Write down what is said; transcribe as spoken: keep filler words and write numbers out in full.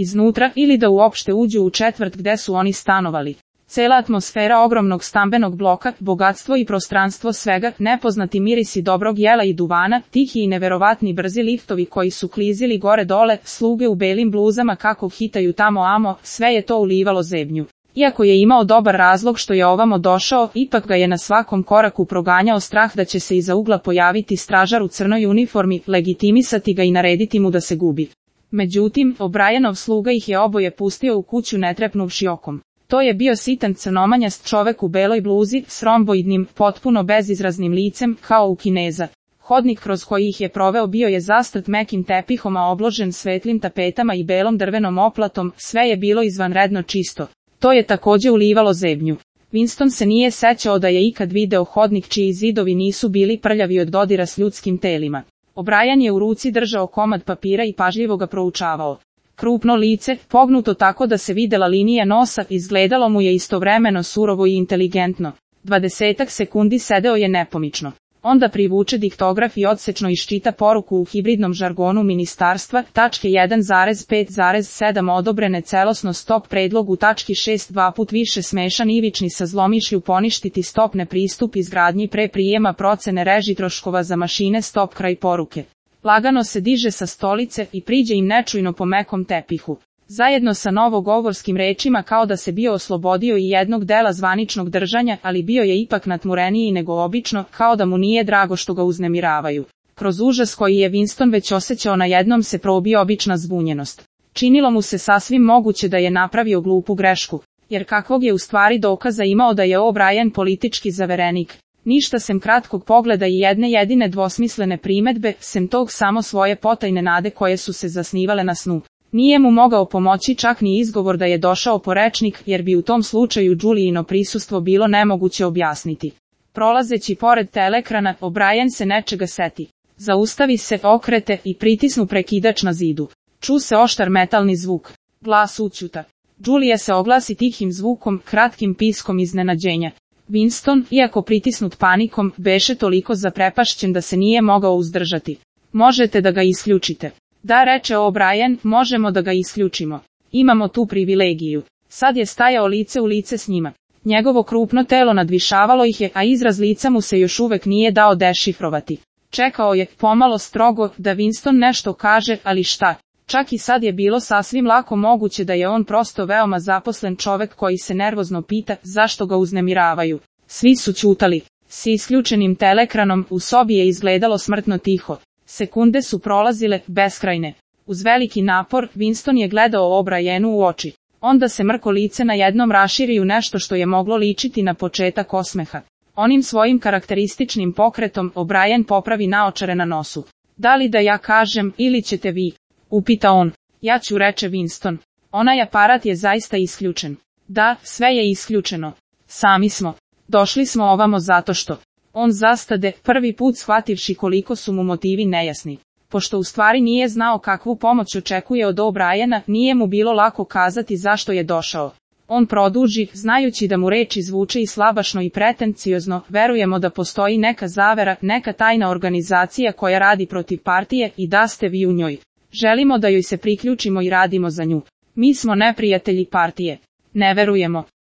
iznutra ili da uopšte uđu u četvrt gde su oni stanovali. Cela atmosfera ogromnog stambenog bloka, bogatstvo i prostranstvo svega, nepoznati mirisi dobrog jela i duvana, tihi i neverovatni brzi liftovi koji su klizili gore dole, sluge u belim bluzama kako hitaju tamo amo, sve je to ulivalo zebnju. Iako je imao dobar razlog što je ovamo došao, ipak ga je na svakom koraku proganjao strah da će se iza ugla pojaviti stražar u crnoj uniformi, legitimisati ga i narediti mu da se gubi. Međutim, O'Brienov sluga ih je oboje pustio u kuću ne trepnuvši okom. To je bio sitan crnomanjast čovek u beloj bluzi, s romboidnim, potpuno bezizraznim licem, kao u Kineza. Hodnik kroz koji ih je proveo bio je zastrt mekim tepihom, a obložen svetlim tapetama i belom drvenom oplatom, sve je bilo izvanredno čisto. To je takođe ulivalo zebnju. Winston se nije sećao da je ikad video hodnik čiji zidovi nisu bili prljavi od dodira s ljudskim telima. O'Brien je u ruci držao komad papira i pažljivo ga proučavao. Krupno lice, pognuto tako da se videla linija nosa, izgledalo mu je istovremeno surovo i inteligentno. Dvadesetak sekundi sedeo je nepomično. Onda privuče diktograf i odsečno iščita poruku u hibridnom žargonu ministarstva, tačke jedan zarez pet zarez sedam odobrene celosno stop predlog u tački šest dva put više smešan ivični sa zlomišlju poništiti stop ne pristup izgradnji pre prijema procene reži troškova za mašine stop kraj poruke. Lagano se diže sa stolice i priđe im nečujno po mekom tepihu. Zajedno sa novogovorskim rečima kao da se bio oslobodio i jednog dela zvaničnog držanja, ali bio je ipak natmureniji nego obično, kao da mu nije drago što ga uznemiravaju. Kroz užas koji je Winston već osjećao najednom se probio obična zbunjenost. Činilo mu se sasvim moguće da je napravio glupu grešku, jer kakvog je u stvari dokaza imao da je O'Brien politički zaverenik. Ništa sem kratkog pogleda i jedne jedine dvosmislene primetbe, sem tog samo svoje potajne nade koje su se zasnivale na snu. Nije mu mogao pomoći čak ni izgovor da je došao po rečnik, jer bi u tom slučaju Julijino prisustvo bilo nemoguće objasniti. Prolazeći pored telekrana, O'Brien se nečega seti. Zaustavi se, okrete i pritisnu prekidač na zidu. Ču se oštar metalni zvuk. Glas ućuta. Julija se oglasi tihim zvukom, kratkim piskom iznenađenja. Winston, iako pritisnut panikom, beše toliko zaprepašćen da se nije mogao uzdržati. Možete da ga isključite. Da, reče O'Brien, možemo da ga isključimo. Imamo tu privilegiju. Sad je stajao lice u lice s njima. Njegovo krupno telo nadvišavalo ih je, a izraz lica mu se još uvek nije dao dešifrovati. Čekao je, pomalo strogo, da Winston nešto kaže, ali šta? Čak i sad je bilo sasvim lako moguće da je on prosto veoma zaposlen čovek koji se nervozno pita zašto ga uznemiravaju. Svi su ćutali. S isključenim telekranom u sobi je izgledalo smrtno tiho. Sekunde su prolazile, beskrajne. Uz veliki napor, Winston je gledao O'Brienu u oči. Onda se mrko lice na jednom raširi u nešto što je moglo ličiti na početak osmeha. Onim svojim karakterističnim pokretom, O'Brien popravi naočare na nosu. Da li da ja kažem, ili ćete vi? Upita on. Ja ću, reče Winston. Onaj aparat je zaista isključen. Da, sve je isključeno. Sami smo. Došli smo ovamo zato što... On zastade, prvi put shvativši koliko su mu motivi nejasni. Pošto u stvari nije znao kakvu pomoć očekuje od O'Briena, nije mu bilo lako kazati zašto je došao. On produži, znajući da mu reči zvuče i slabašno i pretenciozno, verujemo da postoji neka zavera, neka tajna organizacija koja radi protiv partije i da ste vi u njoj. Želimo da joj se priključimo i radimo za nju. Mi smo neprijatelji partije. Ne verujemo.